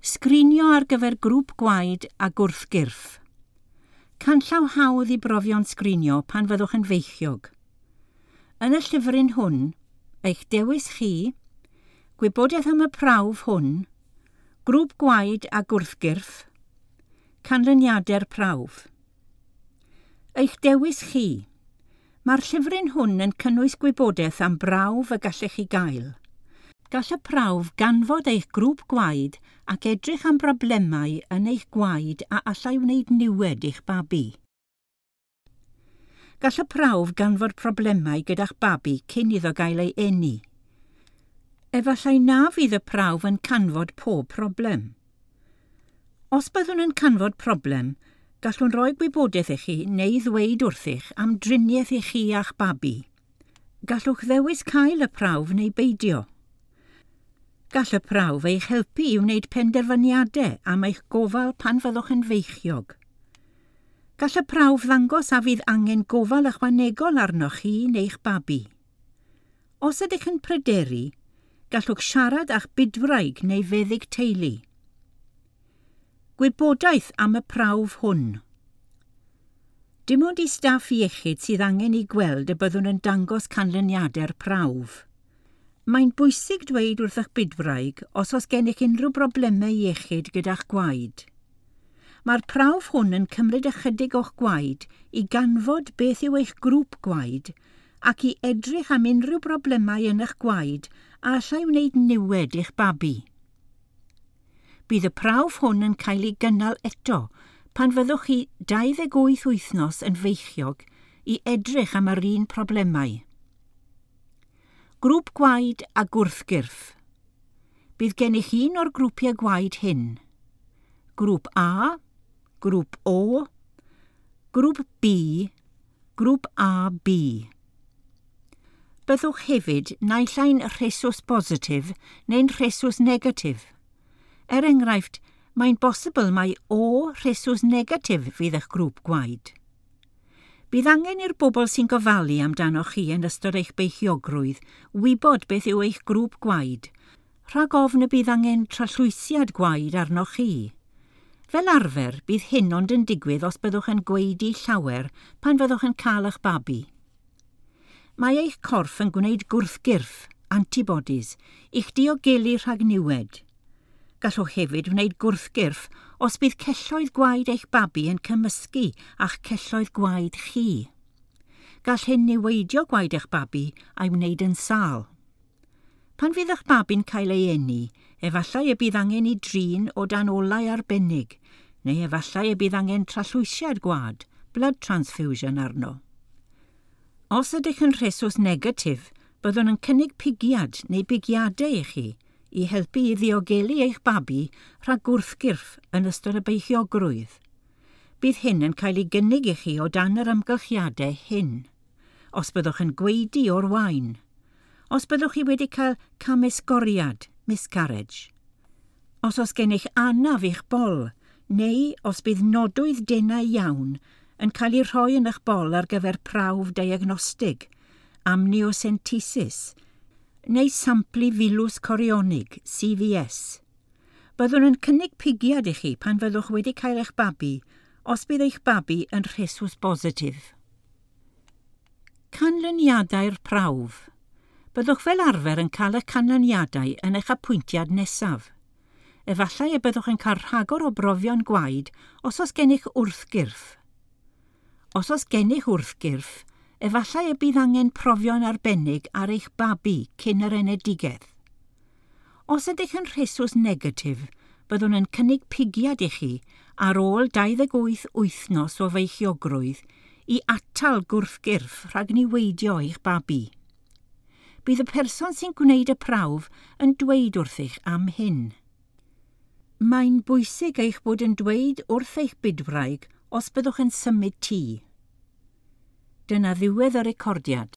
Sgrinio ar gyfer grŵp gwaed a gwrthgyrff. Canllaw hawdd i brofion sgrinio pan fyddwch yn feichiog. Yn y llyfryn hwn, eich dewis chi, gwybodaeth am y prawf hwn, grŵp gwaed a gwrthgyrff, canlyniadau'r prawf. Eich dewis chi. Mae'r llyfryn hwn yn cynnwys gwybodaeth am brawf y gallech chi gael. Gall y prawf ganfod eich grŵp gwaed ac edrych am broblemau yn eich gwaed a allai wneud niwed i'ch babi. Gall y prawf ganfod problemau gyda'ch babi cyn iddo gael ei eni. Efallai na fydd y prawf yn canfod pob problem. Os byddwn yn canfod problem, gallwn roi gwybodaeth i chi neu ddweud wrthych am driniaeth i chi a'ch babi. Gallwch ddewis cael y prawf neu beidio. Gall y prawf eich helpu i wneud penderfyniadau am eich gofal pan fyddwch yn feichiog. Gall y prawf ddangos a fydd angen gofal ychwanegol arnoch chi neu'ch babi. Os ydych yn pryderu, gallwch siarad â'ch bydwraig neu feddyg teulu. Gwybodaeth am y prawf hwn. Dim ond i staff iechyd sydd angen i gweld y byddwn yn dangos canlyniadau'r prawf. Mae'n bwysig dweud wrth eich bydwraig os oes gennych unrhyw broblemau iechyd gyda'ch gwaed. Mae'r prawf hwn yn cymryd ychydig o'ch gwaed i ganfod beth yw eich grŵp gwaed ac i edrych am unrhyw broblemau yn eich gwaed a allai wneud niwed i'ch babi. Bydd y prawf hwn yn cael ei gynnal eto pan fyddwch chi 28 wythnos yn feichiog i edrych am yr un problemau. Grŵp gwaed a gwrthgyrff. Bydd gennych un o'r grwpiau gwaed hyn. Grŵp A, Grŵp O, Grŵp B, Grŵp AB. Byddwch hefyd naill ai'n rhesus positif neu'n rhesus negatif. Er enghraifft, mae'n bosibl mai O rhesus negatif fydd eich grŵp gwaed. Bydd angen i'r bobl sy'n gofalu amdanoch chi yn ystod eich beichiogrwydd wybod beth yw eich grŵp gwaed, rhag ofn y bydd angen trallwysiad gwaed arnoch chi. Fel arfer, bydd hyn ond yn digwydd os byddwch yn gwaedu llawer pan fyddwch yn cael eich babi. Mae eich corff yn gwneud gwrthgyrff, antibodies, i'ch diogelu rhag niwed. Gallwch hefyd wneud gwrthgyrff os bydd celloedd gwaed eich babi yn cymysgu a'ch celloedd gwaed chi. Gall hyn niweidio gwaed eich babi a'i wneud yn sâl. Pan fydd eich babi'n cael ei eni, efallai y bydd angen ei drin o dan olau arbennig, neu efallai y bydd angen trallwysiad gwaed, blood transfusion arno. Os ydych yn rhesus negatif, byddwn yn cynnig pigiad neu bigiadau i chi i helpu i ddiogelu eich babi rhag gwrthgyrff yn ystod y beichiogrwydd. Bydd hyn yn cael ei gynnig i chi o dan yr amgylchiadau hyn. Os byddwch yn gwaedu o'r wain. Os byddwch chi wedi cael camesgoriad, miscarriage. Os oes gennych anaf i'ch bol, neu os bydd nodwydd denau iawn yn cael ei rhoi yn eich bol ar gyfer prawf diagnostig, amniocentesis, neu samplu filws corionig, CVS. Byddwn yn cynnig pigiad i chi pan fyddwch wedi cael eich babi, os bydd eich babi yn rhesus bositif. Canlyniadau'r prawf. Byddwch fel arfer yn cael y canlyniadau yn eich apwyntiad nesaf. Efallai y byddwch yn cael rhagor o brofion gwaed os oes gennych wrthgyrff. Os oes gennych wrthgyrff, efallai y bydd angen profion arbennig ar eich babi cyn yr enedigaeth. Os ydych yn rhesus negatif, byddwn yn cynnig pigiad i chi ar ôl 28 wythnos o feichiogrwydd i atal gwrthgyrff rhag niweidio eich babi. Bydd y person sy'n gwneud y prawf yn dweud wrthych am hyn. Mae'n bwysig eich bod yn dweud wrth eich bydwraig os byddwch yn symud tŷ. Dyna ddiwedd y recordiad.